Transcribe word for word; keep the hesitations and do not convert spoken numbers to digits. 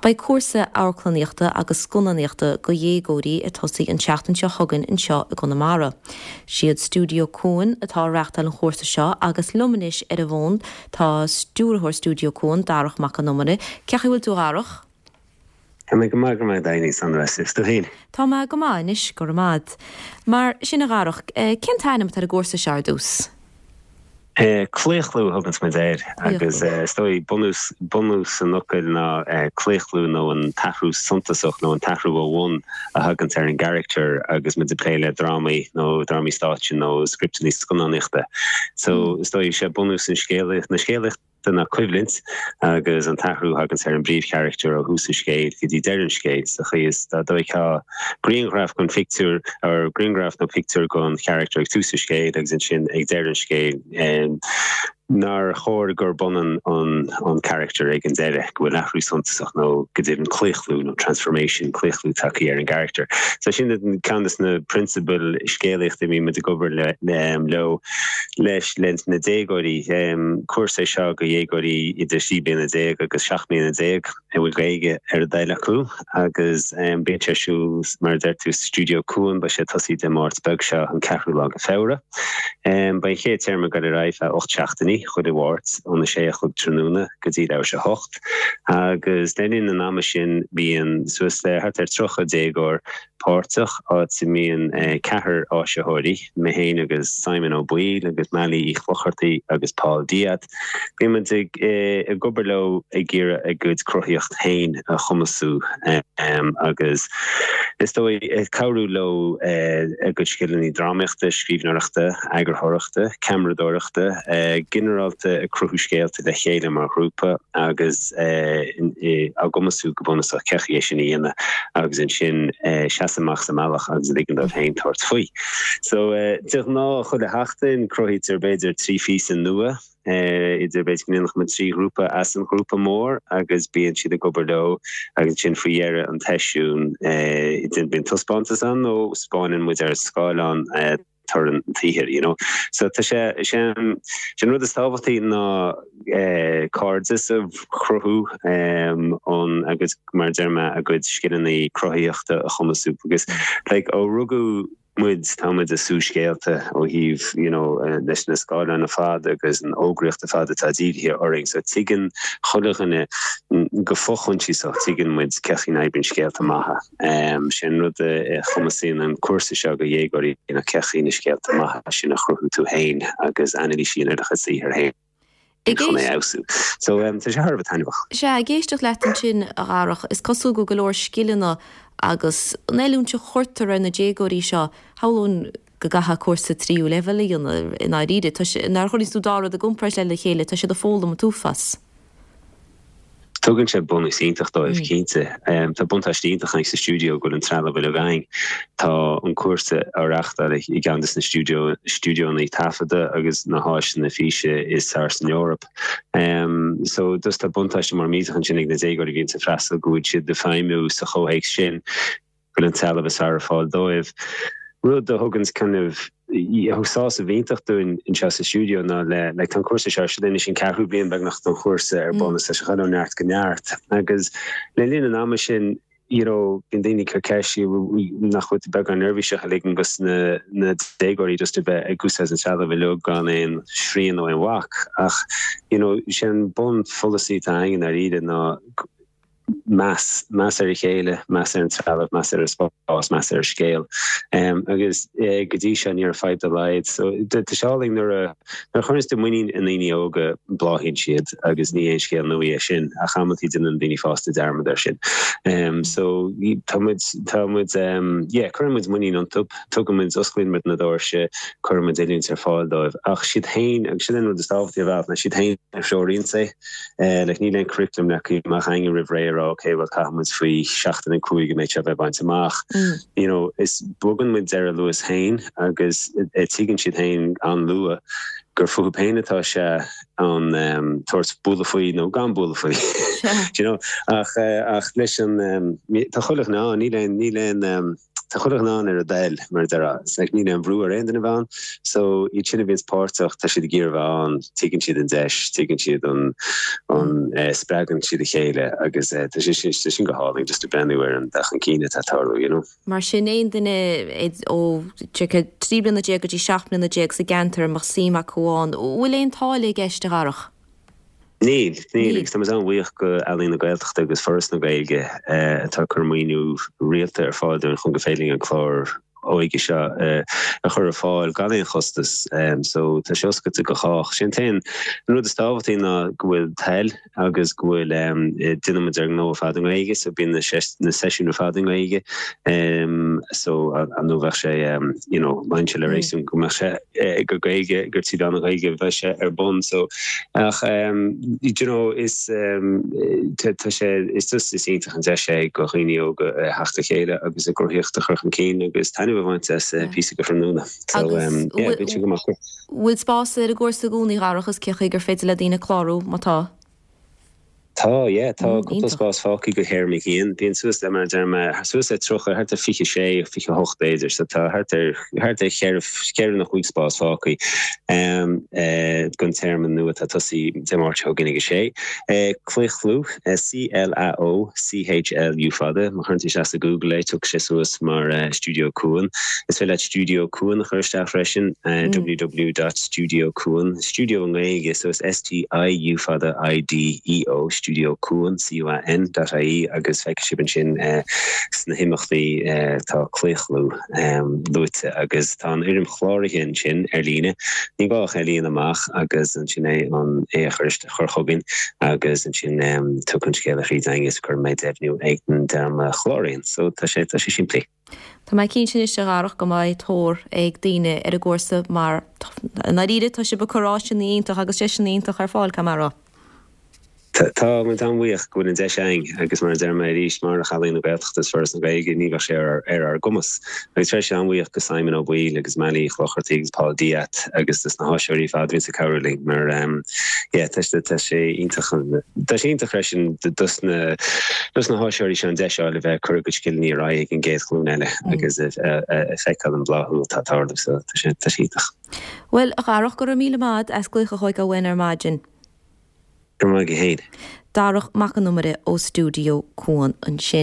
Beidh cúrsa amharclannaíochta agus scannánaíochta do dhéagóirí ag tosaí an tseachtain seo chugainn anseo i gConamara. Siad Stiúideo Cuan atá ag reáchtáil an chúrsa seo agus liom anois ar an bhfón tá stiúrthóir Stiúideo Cuan Darach Mac Con Iomaire, Cén chaoi a bhfuil tú a Dharach? Tá mé go maith go maith daoine san is tú féin. Tá mé go maith anois go maith. Mar sin a Dharach, cén t-ainm atá ar an gcúrsa seo ar dtús? Claochlú a thugann muid air agus is dóigh bunús bunús an fhocail ná claochlú nó an t-athrú suntasach nó an t-athrú ó bhun a thagann ar an gcarachtar agus muid ag plé le drámaí nó drámaí stáitse nó scripteanna scannánaíochta. So is dóigh sé bunús an scéalaíocht na scéalaíochta ná coimhlint agus an t-athrú a thagann ar an bpríomhcharachtar ó thús an scéil go dtí deireadh an scéil sa chaoi is dá dtógfá grianghraf den phictiúr ar grianghraf nó pictiúr den charachtar ag tús an scéil agus ansin ag deireadh an scéil nár chóir gur b'ionann an an charachtar ag an deireadh go bhfuil athrú suntasach nó go dtí claochlú nó transformation claochlú tagtha ar an gcarachtar. So sin ceann de na prionsabail scéalaíochta a mbíonn muid ag obair le leo leis le na déagóirí cúrsa seo do dhéagóirí idir sé bliana déag agus seacht mbliana déag a bhfuil Gaeilge ar a dtoil acu agus bíonn sé ar siúl mar a deir tú Stiúideo Cuan beidh sé ag tosaí Dé Máirt beag seo an ceathrú lá de Feabhra. Beidh an chéad téarma ag dul ar aghaidh feadh ocht seachtainí chuile Mháirt óna sé a chlog tráthnóna go dtí leathuair tar éis a hocht agus le linn an ama sin bíonn suas le thart ar tríocha déagóir páirteach áit a mbíonn ceathrar áisitheoirí mé féin agus Simon Ó Baoill agus Mailí Uí Chlochartaigh agus Paul Diat. Bíonn muid ag ag obair leo ag iarraidh a gcuid cruthaíocht féin a chumasú agus is dóigh cabhrú leo a gcuid scileanna drámaíochta, scríbhneoireachta, eagarthóireachta, ceamaradóireachta, ginearálta ag cruthú scéalta le chéile mar ghrúpa agus á gcumasú go bunúsach cén chaoi é sin a dhéanamh agus ansin seasamh amach sa mbealach agus ligean dóibh féin tabhairt faoi. So de ghnáth chuile sheachtain cruthaítear b'fhéidir trí phíosa nua idir b'fhéidir go ndéanfadh muid trí ghrúpa as an ghrúpa mór agus bíonn siad ag obair leo agus sin faoi dheireadh an tseisiúin bíonn taispeántas ann nó spáineann muid ar scáileán toradh an tsaothair you know. So tá sé sin sin rud is tábhachtaí ná cairdeas a chruthú an agus mar deir mé a gcuid scileanna cruthaíochta a chumasú agus like ó rugadh muid tá muid ag sú scéalta ó thaobh you know leis na scáileáin ar fad agus an fhógraíocht ar fad atá dírithe orainn so tuigeann chuile dhuine go fo-choinsiasach tuigeann muid cén chaoi a n-oibríonn scéalta maithe um, sin rud a chumasaíonn an cúrsa seo do dhéagóirí ná cén chaoi na scéalta maithe sin a chruthú tú féin agus anailís ar do chuid saothair féin. Chun é a fheabhsú. So um, tá sé thar a bheith taitneamhach. Sea ag éisteacht leat ansin a Dharach is cosúil go go leor scileanna agus an oiliúint a chuirtear ar na déagóirí seo shamhlóinn go gcaithfidh cúrsa tríú leibhéal a dhéanamh i ndáiríre nuair a chuireann tú dá rud i gcomparáid le chéile tá siad ag foghlaim an t-uafás. Tugann sé bunús iontach dóibh cinnte. Tá buntáiste iontach sa stiúideo go bhfuil an trealamh uilig againn. Tá an cúrsa á reáchtáil i gceann de na stiúideo stiúideoanna taifeadta agus na háiseanna físe is fearr san Eoraip. Um, so dus tá buntáiste mar millteach ansin ag na déagóirí a bhíonn ag freastal go bhfuil siad ag feidhmiú sa chomhthéacs sin go bhfuil an trealamh is fearr ar fáil dóibh. Rud a thugann kind of sásamh iontach dúinn anseo sa stiúideo ná le le an cúrsa seo sin anois an ceathrú bliain beagnach don chúrsa ar bun is sé ó neart go neart agus le linn an ama sin you know bíonn daoine ag cur ceist nach bhfuil beagán neirbhíseach a ligean dos na na déagóirí just a bheith ag úsáid an trealamh uilig gan aon srian nó aon bhac ach you know sin bunpholasaí atá againn ar iad ná meas meas ar a chéile meas ar an trealamh meas ar an spás meas ar scéal um, agus eh, go dtí seo ní raibh fadhb dá laghad so tá sé álainn nuair a nuair a chuireann tú muinín i ndaoine óga bláthaíonn siad agus ní aon scéal nua é sin ach amantaí déanann daoine fásta dearmad air sin um, so tá muid tá muid um, yeah, cuireann muid muinín iontu tugann muid osclaíonn muid na doirse cuireann muid oiliúint ar fáil dóibh ach siad féin agus sin an rud is tábhachtaí a bheith ná siad féin a threoraíonn é eh, le níl aon curriculum leagtha amach againn roimh ré rá okay well caithfidh muid faoi seachtain a cúig go mbeidh sé bheith bainte amach mm. you know is bogann muid ar a luas féin agus tuigeann siad féin an-luath gur fúthu féin atá sé an um, tabhairt bualadh faoi nó gan bualadh faoi you know ach uh, ach leis an um, tá chuile ná níl aon níl aon um, Tá chuile dhuine ann ar a dtoil mar a déarfá. It's like níl aon bhrú ar aon duine bheith ann. So iad sin a bhíonns páirteach tá siad ag iarraidh bheith ann, tuigeann siad an deis, tuigeann siad an an eh, spreagann siad a chéile agus eh, tá sé sin tá sin go hálainn just ag breathnú ar an dul chun cinn atá ag tarlú, you know. Mar sin aon duine ó trí bliana déag go dtí seacht mbliana déag sa gceantar a mbeadh suim acu ann, bhfuil aon táille i gceist a Dharach? Níl, níl agus tá muid an-bhuíoch go Ealaín na Gaeltachta agus Foras na Gaeilge atá ag cur maoiniú rialta ar fáil dúinn chun go féidir linn an clár óige seo a chur ar fáil gan aon chostas. So tá sé oscailte go chách. Sin t-aon an rud is tábhachtaí ná go bhfuil toil agus go bhfuil déanann muid ár ngnó ar fad i nGaeilge so bíonn na na seisiúin ar fad i nGaeilge so nó bheadh sé you know luíonn sé le réasún go mbeadh sé go Gaeilge gur trí mheán na Gaeilge bheadh sé ar bun so ach you know is tá sé is just is iontach an deis é go dhaoine óga theacht le chéile agus a gcruthaíocht a chur chun cinn agus taitneamh a bhaint as píosa go tráthnóna so yeah bíonn sé go maith. Bhfuil spás ar an gcúrsa i gcónaí a Dharach is cén chaoi gur féidir le daoine clárú má tá? Tá, yeah, tá cúpla spás fágtha go théarma a haon. Bíonn suas le mar a deir mé suas le tríocha, thart ar fiche sé, fiche hocht b'fhéidir, so tá thart ar thart ar cheithre cheithre nó cúig spás fágtha don téarma nua atá ag tosú Dé Máirt seo chugainn ag a sé. Claochlú, C L A O C H L U fada, má chuireann tú isteach sa Google é tiocfaidh sé suas mar Stiúideo Cuan. Is féidir leat Stiúideo Cuan a chur isteach freisin, www dot stiúideo cuan, stiúideo i nGaeilge so is S T I U fada I D E O, Stiúideo Cuan, C U A N, dot I E agus feicfidh sibh ansin sna himeachtaí tá Claochlú luaite agus tá an fhoirm chláraithe ansin ar líne. Ní gá ach é a líonadh amach agus ansin é an é a chur chur chugainn agus ansin tiocfaidh an scéala thríd againn is cuirfidh mé deimhniú ag an dream a chláraíonn. So tá sé tá sé simplí. Tá mé cinnte anois a Dharach go mbeidh tóir ag daoine ar an gcúrsa mar i ndáiríre tá sibh ag cur áiseanna iontach agus deiseanna iontach ar fáil, caithfidh mé a rá. Tá muid an-bhuíoch go bhfuil an deis againn agus mar a deir mé arís, murach Ealaín na Gaeltachta is Foras na Gaeilge ní bheadh sé ar ár gcumas. Agus freisin an-bhuíoch go Simon Ó Baoill agus Mailí Chlochartaigh agus Paul Diat agus dos na háisitheoirí ar fad a bhíonns ag cabhrú linn mar yeah tá tá sé iontach tá sé iontach freisin dos na dos na háisitheoirí seo an deis a fháil a bheith ag cur a gcuid scileanna ar aghaidh ag an gcéad ghlúin eile agus a feiceáil an bláthú atá ag tarlú so tá sé tá sé iontach. Bhuel, a Dharach, go raibh míle maith as glaoch a thógáil uainn ar maidin. Go raibh maith agat féin. Darach Mac an Iomaire ó Stiúideo Cuan ansin.